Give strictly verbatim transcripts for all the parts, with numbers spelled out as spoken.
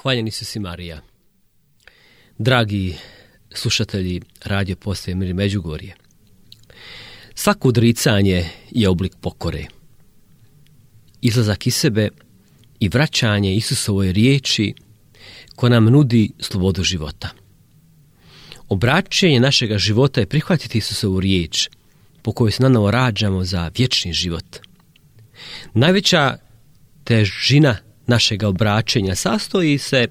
Hvaljen Isus i Marija. Dragi slušatelji radio postaje Mir Međugorje, svako odricanje je oblik pokore. Izlazak iz sebe i vraćanje Isusovoj riječi koja nam nudi slobodu života. Obraćenje našega života je prihvatiti Isusovu riječ po kojoj se nanovo rađamo za vječni život. Najveća težina našega obraćenja sastoji se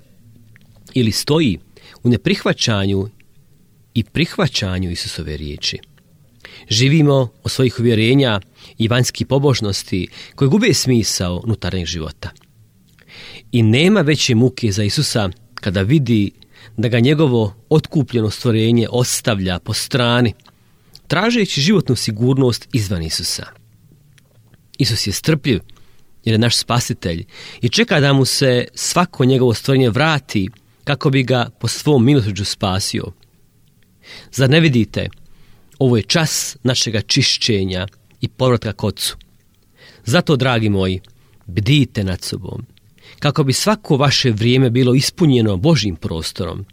ili stoji u neprihvaćanju i prihvaćanju Isusove riječi. Živimo od svojih uvjerenja i vanjskih pobožnosti koje gube smisao unutarnjeg života. I nema veće muke za Isusa kada vidi da ga njegovo otkupljeno stvorenje ostavlja po strani, tražeći životnu sigurnost izvan Isusa. Isus je strpljiv jer je naš spasitelj i čeka da mu se svako njegovo stvorenje vrati kako bi ga po svom milosrđu spasio. Zar ne vidite? Ovo je čas našega čišćenja i povratka k Ocu. Zato, dragi moji, bdijte nad sobom, kako bi svako vaše vrijeme bilo ispunjeno Božjim prostorom.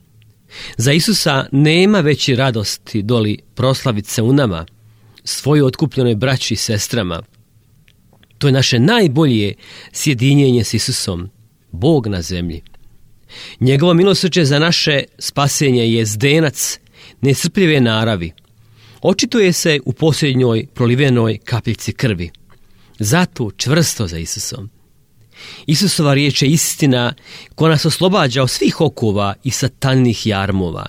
Za Isusa nema veće radosti doli proslaviti se u nama, svojoj otkupljenoj braći i sestrama. To je naše najbolje sjedinjenje s Isusom, Bog na zemlji. Njegovo milosrđe za naše spasenje je zdenac nesrpljive naravi. Očituje se u posljednjoj prolivenoj kapljici krvi. Zato čvrsto za Isusom. Isusova riječ je istina koja nas oslobađa od svih okova i satanih jarmova.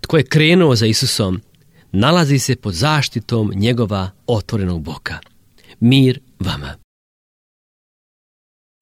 Tko je krenuo za Isusom, nalazi se pod zaštitom njegova otvorenog boka. Mir vama.